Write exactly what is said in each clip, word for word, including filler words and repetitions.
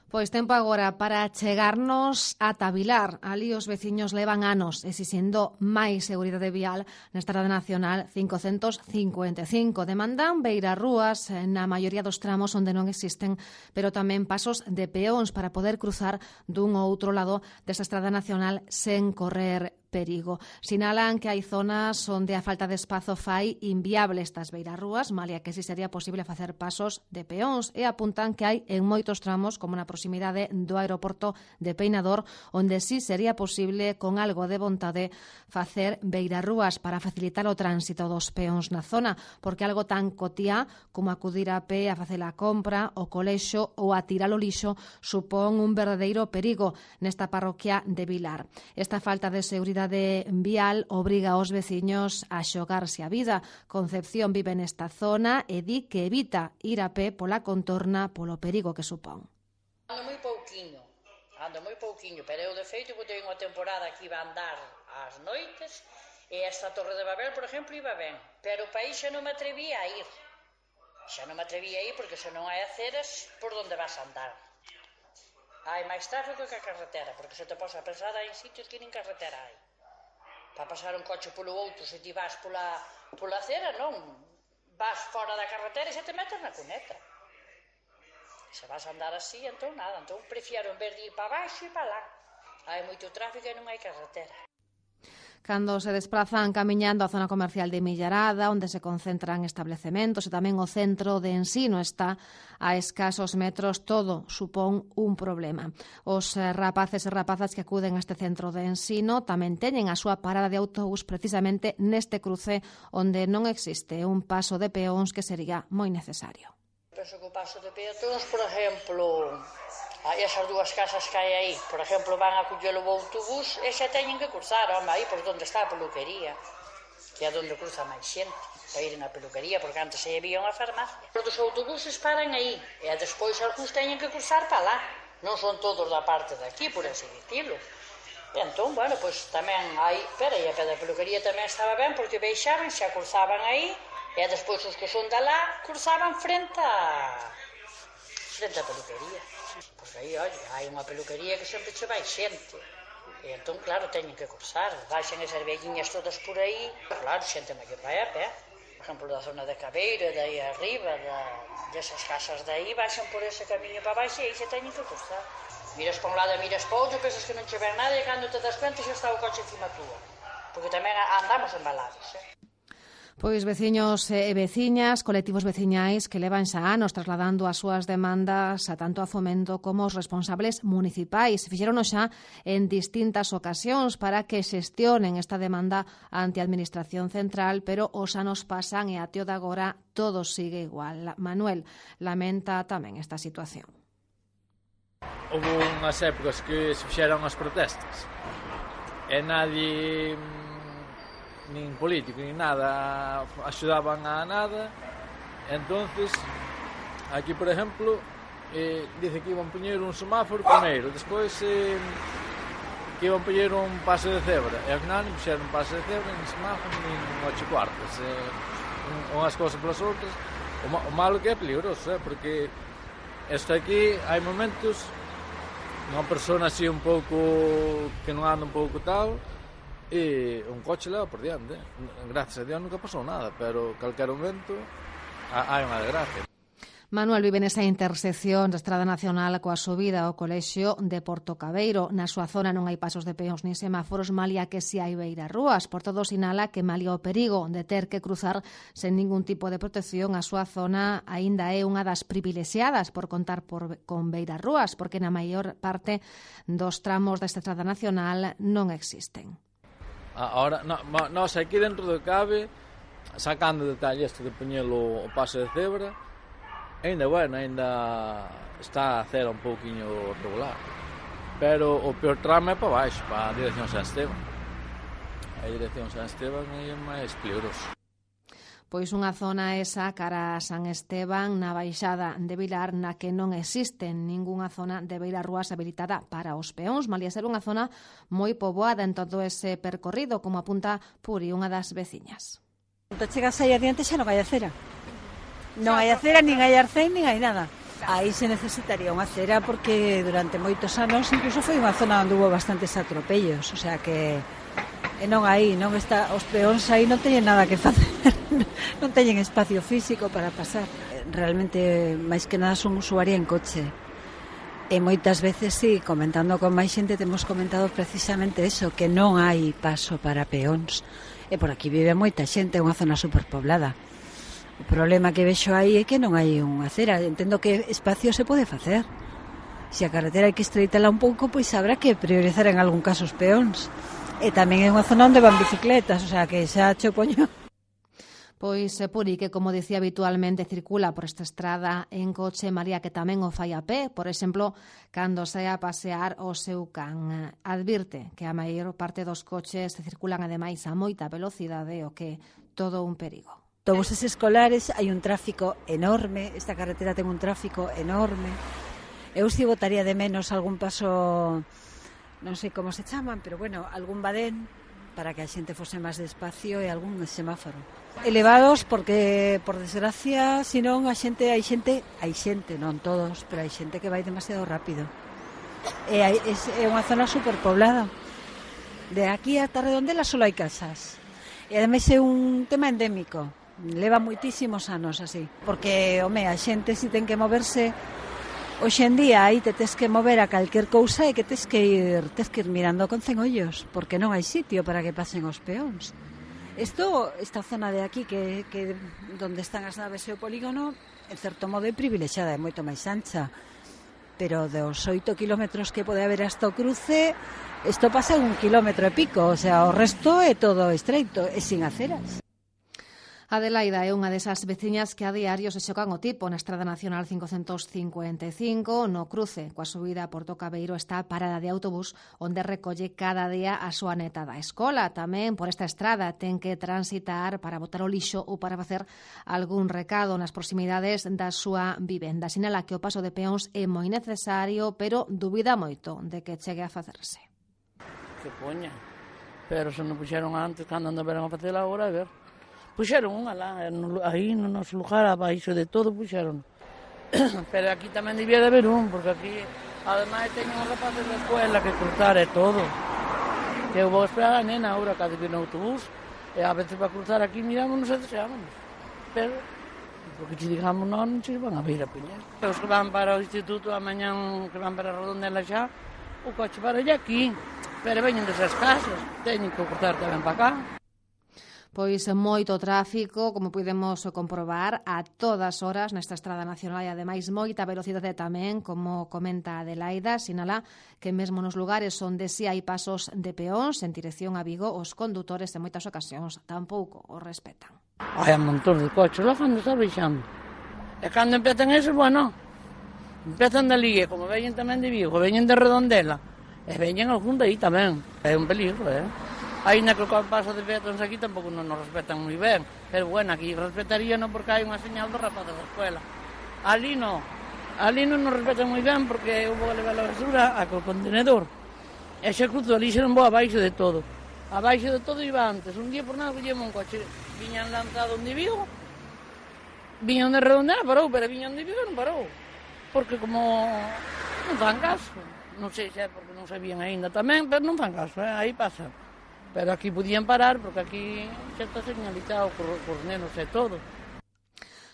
Pois tempo agora para chegarnos ata Vilar. Ali os veciños levan anos exixindo máis seguridade vial na Estrada Nacional cincocentos cincuenta e cinco. Demandan beirarrúas na maioría dos tramos onde non existen, pero tamén pasos de peóns para poder cruzar dun ou outro lado desta Estrada Nacional sen correr perigo. Sinalan que hai zonas onde a falta de espazo fai inviable estas beirarrúas, malia que si sería posible facer pasos de peóns, e apuntan que hai en moitos tramos, como na proximidade do aeroporto de Peinador, onde si sería posible, con algo de vontade, facer beirarrúas para facilitar o tránsito dos peóns na zona, porque algo tan cotiá como acudir a pé a facer a compra, o colexo ou a tirar o lixo supón un verdadeiro perigo nesta parroquia de Vilar. Esta falta de seguridade vial obriga aos veciños a xogarse a vida. Concepción vive nesta zona e di que evita ir a pé pola contorna polo perigo que supón. Ando moi pouquiño, ando moi pouquiño, pero eu de feito que teño unha temporada que iba a andar ás noites e esta Torre de Babel, por exemplo, iba ben, pero o país xa non me atrevía a ir. Xa non me atrevía a ir porque xa non hai aceras por onde vas a andar. Hai máis tráfico que a carretera, porque se te posa a pensar hai sitios que nin carretera hai. Para pasar un coche polo outro, se ti vas pola, pola acera, non. Vas fora da carretera e xa te metes na cuneta. Se vas a andar así, entón nada. Entón prefiero en vez de ir para baixo e para lá. Hai moito tráfico e non hai carretera. Cando se desplazan camiñando a zona comercial de Millarada, onde se concentran establecementos e tamén o centro de ensino está a escasos metros, todo supón un problema. Os rapaces e rapazas que acuden a este centro de ensino tamén teñen a súa parada de autobús precisamente neste cruce onde non existe un paso de peóns que sería moi necesario. Penso que o paso de peóns, por exemplo, hai esas dúas casas que hai aí, por exemplo, van a collelo o autobús e xa teñen que cruzar, home, aí por onde está a peluquería, que é onde cruza máis xente, para ir na peluquería, porque antes aí había unha farmacia. Os autobuses paran aí, e despois algúns teñen que cruzar para lá, non son todos da parte de aquí, por así dicilo. E entón, bueno, pois tamén hai, pero aí a pé da peluquería tamén estaba ben, porque baixaban, xa cruzaban aí, e despois os que son de lá cruzaban frente a frente a peluquería. Porque aí, olha, hai unha peluquería que sempre che vai xente. E entón, claro, teñen que cruzar. Baixan esas velliñas todas por aí. Claro, xente maior vai a pé. Por exemplo, da zona de Cabeiro, de aí arriba, da, desas casas de aí, baixan por ese camiño para baixo e aí se teñen que cruzar. Miras para un lado e miras para outro, pensas que non che ven nada e cando te das cuenta xa está o coche encima túa. Porque tamén andamos embalados, eh? Pois veciños e veciñas, colectivos veciñais que levan xa anos trasladando as súas demandas a tanto a Fomento como os responsables municipais. Fixerono xa en distintas ocasións para que xestionen esta demanda ante a Administración Central, pero os anos pasan e até o de agora todo sigue igual. Manuel lamenta tamén esta situación. Houve unhas épocas que se fixeron as protestas e nadie, nin político, nin nada, axudaban a nada. Entonces, aquí, por exemplo, eh, dice que iban poñer un semáforo primeiro, despois eh, que iban poñer un paso de cebra, e ao final non puxeron un paso de cebra, nin semáforo, nin ocho cuartos, eh, unhas cousas polas outras. O, ma o malo que é peligroso, eh, porque isto aquí, hai momentos, unha persona así un pouco, que non anda un pouco tal, e un coche leva por diante. Gracias a Dios nunca pasou nada, pero calquer momento hai unha desgracia. Manuel vive nesa intersección da Estrada Nacional coa subida ao colexio de Porto Cabeiro. Na súa zona non hai pasos de peóns nin semáforos, malia que si hai beirarrúas. Por todo sinala que malia o perigo de ter que cruzar sen ningún tipo de protección, a súa zona aínda é unha das privilexiadas por contar por, con beirarrúas, porque na maior parte dos tramos desta Estrada Nacional non existen. Ahora, no, nós aquí dentro do cabe, sacando detalle isto de poñelo o paso de cebra, ainda bueno, ainda está a cera un pouquiño regular. Pero o peor tramo é para baixo, para a dirección San Esteban. A dirección San Esteban é máis peligroso. Pois unha zona esa cara a San Esteban na baixada de Vilar, na que non existe ningunha zona de beirarrúas habilitada para os peóns, malia ser unha zona moi poboada en todo ese percorrido, como apunta Puri, unha das veciñas. Cando chegas aí adiante xa non hai acera. Non hai acera, nin hai arcén, nin hai nada. Aí se necesitaría unha acera porque durante moitos anos incluso foi unha zona onde hubo bastantes atropellos, o sea que e non aí, non está, os peóns aí non teñen nada que facer, non teñen espacio físico para pasar. Realmente, máis que nada, son usuaria en coche. E moitas veces, sí, comentando con máis xente, temos comentado precisamente eso, que non hai paso para peóns. E por aquí vive moita xente, é unha zona superpoblada. O problema que vexo aí é que non hai unha acera. Entendo que espacio se pode facer. Se a carretera hai que estreitala un pouco, pois habrá que priorizar en algún caso os peóns. E tamén é unha zona onde van bicicletas, o sea que xa cho poño. Pois Puri, que como dicía habitualmente circula por esta estrada en coche, María, que tamén o fai a pé, por exemplo, cando sai a pasear o seu can. Advirte que a maior parte dos coches circulan ademais a moita velocidade, o que todo un perigo. Autobuses escolares, hai un tráfico enorme, esta carretera ten un tráfico enorme. Eu si botaría de menos algún paso, non sei como se chaman, pero bueno, algún badén para que a xente fose máis despacio e algún semáforo. Elevados porque, por desgracia, senón a xente, hai xente, hai xente, non todos, pero hai xente que vai demasiado rápido. E hai, é unha zona superpoblada. De aquí ata Redondela só hai casas. E ademais é un tema endémico. Leva moitísimos anos así. Porque, home, a xente si ten que moverse. Hoxe en día aí te tes que mover a calquer cousa e que tes que ir tes que ir mirando con cen ollos, porque non hai sitio para que pasen os peóns. Isto, esta zona de aquí que, que donde están as naves e o polígono, en certo modo é privilexiada, é moito máis ancha, pero dos oito kilómetros que pode haber hasta o cruce, isto pasa un kilómetro e pico, o sea, o resto é todo estreito e sin aceras. Adelaida é unha desas veciñas que a diario se xocan o tipo na Estrada Nacional cincocentos cincuenta e cinco. No cruce coa subida a Porto Cabeiro está a parada de autobús onde recolle cada día a súa neta da escola. Tamén por esta estrada ten que transitar para botar o lixo ou para facer algún recado nas proximidades da súa vivenda. Sinala que o paso de peóns é moi necesario, pero dubida moito de que chegue a facerse. Que poña, pero se non puxeron antes, cando andaban a facer agora, a ver. Puxeron unha lá, aí no noso lugar, abaixo de todo, puxeron. Pero aquí tamén debía de haber un, porque aquí, ademais, teñen os rapaces da escuela que cruzar e todo. Que eu vou esperar a nena agora, cando viene o autobús, e a veces para cruzar aquí mirámonos e deseámonos. Pero, porque se digamos non, non se van a vir a piñar. Os que van para o instituto, a mañán que van para a Redondela xa, o coche para allá aquí, pero veñen desas casas, teñen que cruzar tamén para cá. Pois moito tráfico, como podemos comprobar, a todas horas nesta Estrada Nacional e ademais moita velocidade tamén, como comenta Adelaida, sinala que mesmo nos lugares onde si hai pasos de peóns en dirección a Vigo, os condutores en moitas ocasións tampouco os respetan. Hai un montón de coches lá cando está baixando. E cando empezan esos, bueno, empezan de Ligue, como veñen tamén de Vigo, veñen de Redondela, e veñen algún de aí tamén. É un peligro, eh? Ainda que o paso de peóns aquí tampouco non nos respetan moi ben, pero bueno, aquí respetarían porque hai unha señal do rapaz da escuela. Ali non, ali non nos respetan moi ben porque eu vou levar a basura a co contenedor. E xa cruzo ali xa non vou abaixo de todo. Abaixo de todo iba antes, un día por nada collemos un coche, viñan lanzado onde Vigo, viñan de Redondela, parou, pero viñan de Vigo non parou, porque como non fan caso, non sei se é porque non sabían aínda tamén, pero non fan caso, eh? Aí pasa. Pero aquí podían parar, porque aquí xa está señalizado por, por nenos e todo.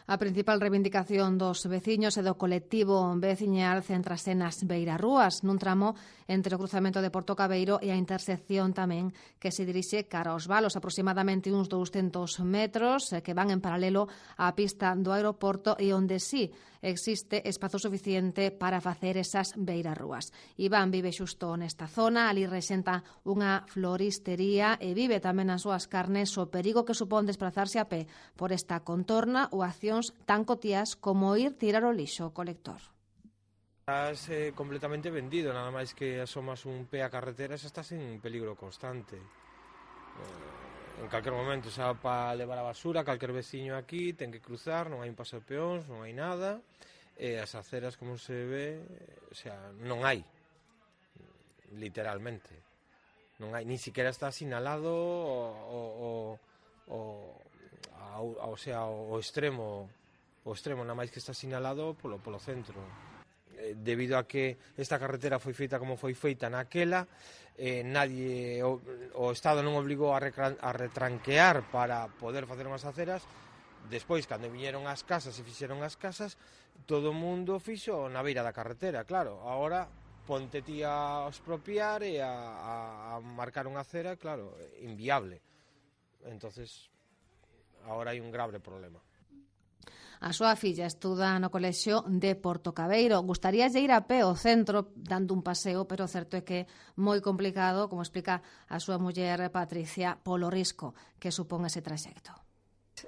A principal reivindicación dos veciños e do colectivo veciñal céntrase nas beirarrúas, nun tramo entre o cruzamento de Porto Cabeiro e a intersección tamén que se dirixe cara aos valos, aproximadamente uns douscentos metros que van en paralelo á pista do aeroporto e onde sí existe espazo suficiente para facer esas beirarrúas. Iván vive xusto nesta zona, ali rexenta unha floristería e vive tamén nas súas carnes o perigo que supón desplazarse a pé por esta contorna ou accións tan cotías como ir tirar o lixo ao colector. Estás eh, completamente vendido, nada máis que asomas un pé a carretera xa estás en peligro constante. Eh, en calquer momento, xa para levar a basura, calquer veciño aquí ten que cruzar, non hai un paso de peóns, non hai nada, e as aceras, como se ve, o sea, non hai, literalmente. Non hai, ni siquiera está sinalado o, o, o, o, o sea, o extremo o extremo, nada máis que está sinalado polo, polo centro. Eh, debido a que esta carretera foi feita como foi feita naquela, eh, nadie, o, o Estado non obligou a, recran, a retranquear para poder facer unhas aceras. Despois, cando viñeron as casas e fixeron as casas, todo o mundo fixo na beira da carretera, claro. Agora, ponte ti a expropiar e a, a, a marcar unha acera, claro, inviable. Entonces, agora hai un grave problema. A súa filla estuda no colexio de Portocabeiro. Gustaríalle ir a pé ao centro dando un paseo, pero o certo é que é moi complicado, como explica a súa muller Patricia, polo risco que supón ese traxecto.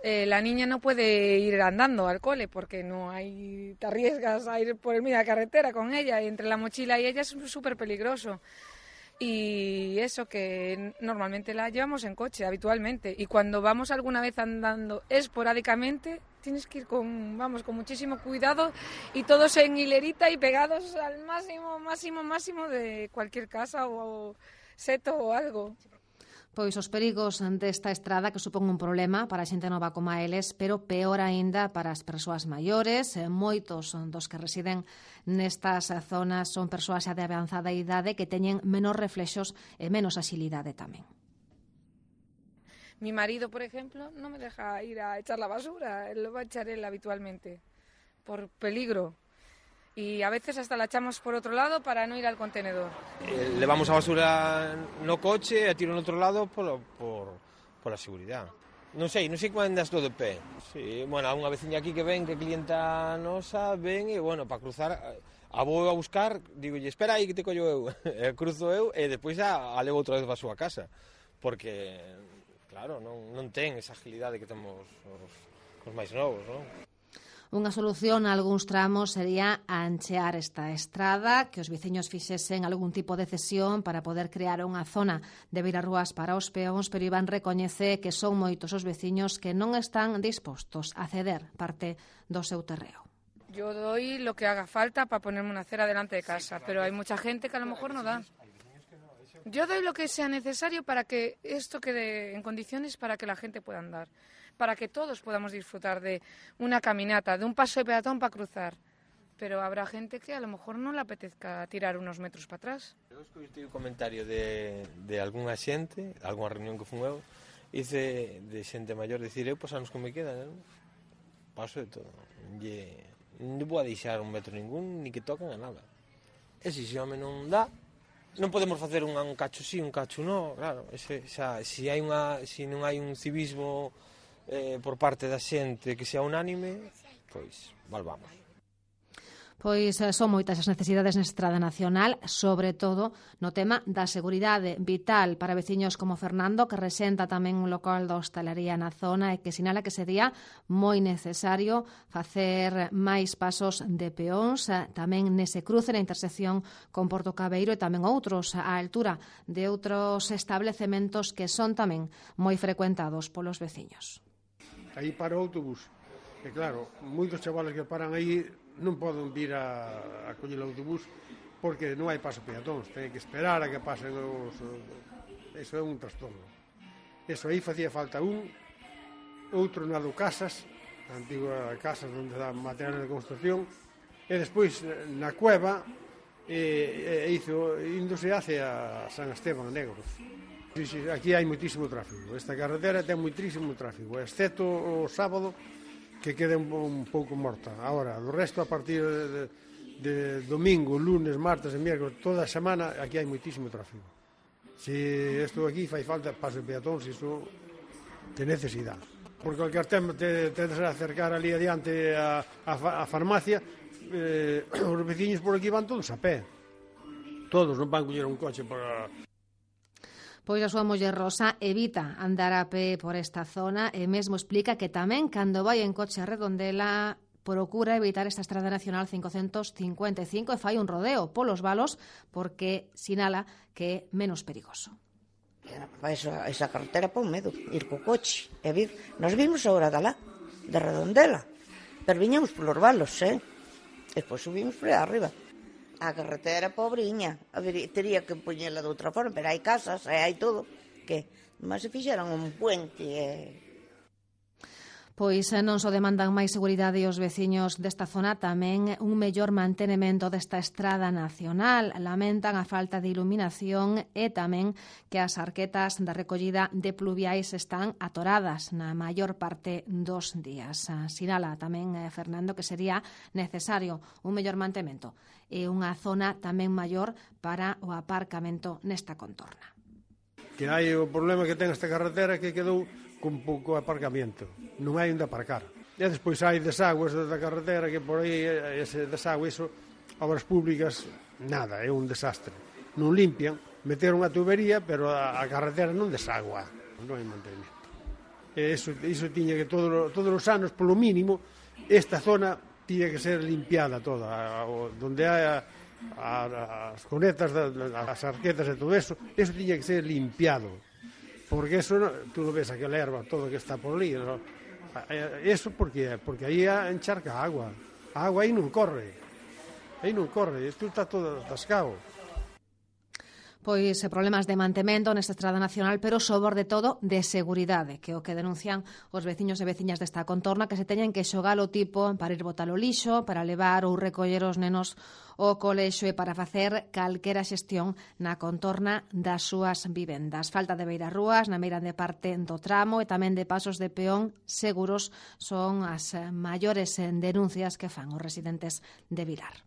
Eh, la niña no puede ir andando al cole porque no hay, te arriesgas a ir por el medio de la carretera con ella y entre la mochila y ella es súper peligroso. Y eso que normalmente la llevamos en coche habitualmente y cuando vamos alguna vez andando esporádicamente tienes que ir con, vamos, con muchísimo cuidado y todos en hilerita y pegados al máximo, máximo, máximo de cualquier casa o seto o algo. Pois os perigos desta estrada que supón un problema para a xente nova como a eles, pero peor aínda para as persoas maiores. Moitos dos que residen nestas zonas son persoas xa de avanzada idade que teñen menos reflexos e menos axilidade tamén. Mi marido, por ejemplo, no me deja ir a echar la basura, lo va a echar él habitualmente, por peligro. Y a veces hasta la echamos por otro lado para no ir al contenedor. Eh, levamos a basura no coche e tiro no outro lado por, por, por a seguridad. Non sei, non sei como andas todo de pé. Sí, bueno, unha veciña aquí que ven, que clienta nosa, ven e, bueno, para cruzar, a vou a buscar, digo, espera aí que te collo eu, e cruzo eu e depois a, a levo outra vez para a súa casa. Porque, claro, non, non ten esa agilidade que temos os, os máis novos, non? Unha solución a algúns tramos sería anchear esta estrada, que os veciños fixesen algún tipo de cesión para poder crear unha zona de beirarrúas para os peóns, pero Iván recoñece que son moitos os veciños que non están dispostos a ceder parte do seu terreo. Yo doy lo que haga falta para ponerme una acera delante de casa, pero hay mucha gente que a lo mejor no da. Yo doy lo que sea necesario para que esto quede en condiciones para que la gente pueda andar, para que todos podamos disfrutar de una caminata, de un paso de peatón para cruzar. Pero habrá gente que a lo mejor no le apetezca tirar unos metros para atrás. Eu escoitei un comentario de, de algunha xente, algunha reunión que fun eu, hice de xente maior dicir, eu pues anos que me quedan, non? Paso de todo. Lle, non vou a deixar un metro ningún, ni que toquen a nada. E se xe home non dá, non podemos facer un, un cacho sí, un cacho no, claro, ese, xa, se, hai unha, se non hai un civismo eh, por parte da xente que sea unánime, pois, volvamos. Pois son moitas as necesidades na estrada nacional, sobre todo no tema da seguridade vital para veciños como Fernando, que resenta tamén un local da hostalería na zona e que sinala que sería moi necesario facer máis pasos de peóns, tamén nese cruce na intersección con Portocabeiro e tamén outros á altura de outros establecementos que son tamén moi frecuentados polos veciños. Aí para o autobús, e claro, moitos chavales que paran aí non poden vir a, a coller o autobús porque non hai paso peatóns, ten que esperar a que pasen os... Eso é un trastorno. Eso aí facía falta un, outro na do Casas, a antiga Casas onde dá material de construcción, e despois na Cueva e, e hizo, índose hacia San Esteban Negros. Sí, sí, aquí hai moitísimo tráfico, esta carretera ten moitísimo tráfico, excepto o sábado, que quede un, un pouco morta. Agora, do resto, a partir de, de domingo, lunes, martes e miércoles, toda a semana, aquí hai moitísimo tráfico. Se isto aquí fai falta paso de peatóns, isto de necesidade. Por calquer tema te tedes a acercar ali adiante a, a, a farmacia, eh, os veciños por aquí van todos a pé. Todos, non van coller un coche para... Pois a súa muller Rosa evita andar a pé por esta zona e mesmo explica que tamén cando vai en coche a Redondela procura evitar esta estrada nacional cincocentos cincuenta e cinco e fai un rodeo polos valos porque sinala que é menos perigoso. Esa, esa carretera pa un medo, ir co coche e vir. Nos vimos agora da lá, de Redondela, pero viñamos polos valos, eh? E despois subimos por aí arriba. A carretera pobriña, a ver, tería que poñela de outra forma, pero hai casas, hai todo, que mas se fixeran un puente e... Pois non só demandan máis seguridade os veciños desta zona, tamén un mellor mantenemento desta estrada nacional. Lamentan a falta de iluminación e tamén que as arquetas da recollida de pluviais están atoradas na maior parte dos días. Sinala tamén eh, Fernando que sería necesario un mellor mantemento e unha zona tamén maior para o aparcamento nesta contorna. Que hai o problema que ten esta carretera que quedou con pouco aparcamento, non hai onde aparcar. E despois hai desagües da carretera que por aí, ese desagüe, iso, obras públicas, nada, é un desastre. Non limpian, meteron a tubería, pero a, a carretera non desagua, non hai mantenimento. E iso, iso tiña que todo, todos os anos, polo mínimo, esta zona tiña que ser limpiada toda, a, a, donde hai a, a, as conetas, as arquetas e todo eso, eso tiña que ser limpiado. Porque eso, tú lo ves, aquela erva, todo que está por ali, ¿no? Eso porque, porque aí encharca agua. A agua aí non corre. Aí non corre, isto está todo atascado. Pois problemas de mantemento nesta estrada nacional, pero sobre todo de seguridade, que é o que denuncian os veciños e veciñas desta contorna, que se teñen que xogar o tipo para ir botar o lixo, para levar ou recoller os nenos ao colexo e para facer calquera xestión na contorna das súas vivendas. Falta de beirarrúas na meirande parte do tramo e tamén de pasos de peón seguros son as maiores denuncias que fan os residentes de Vilar.